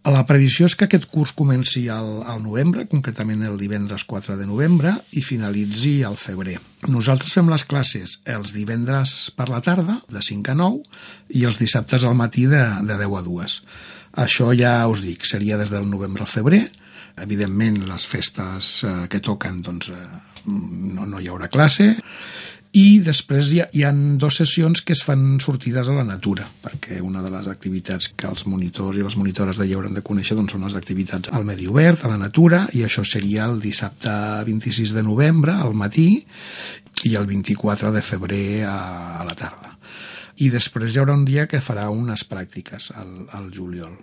La previsió és que aquest curs comenci al novembre, concretament el divendres 4 de novembre, i finalitzi al febrer. Nosaltres fem les classes els divendres per la tarda, de 5 a 9, i els dissabtes al matí de 10 a 2. Això ja us dic, seria des del novembre al febrer. Evidentment, les festes que toquen, doncs, no hi haurà classe. I després hi ha 2 sessions que es fan sortides a la natura, perquè una de les activitats que els monitors i les monitores de lleure han de conèixer doncs, són les activitats al medi obert, a la natura, i això seria el dissabte 26 de novembre al matí i el 24 de febrer a la tarda. I després hi haurà un dia que farà unes pràctiques al juliol.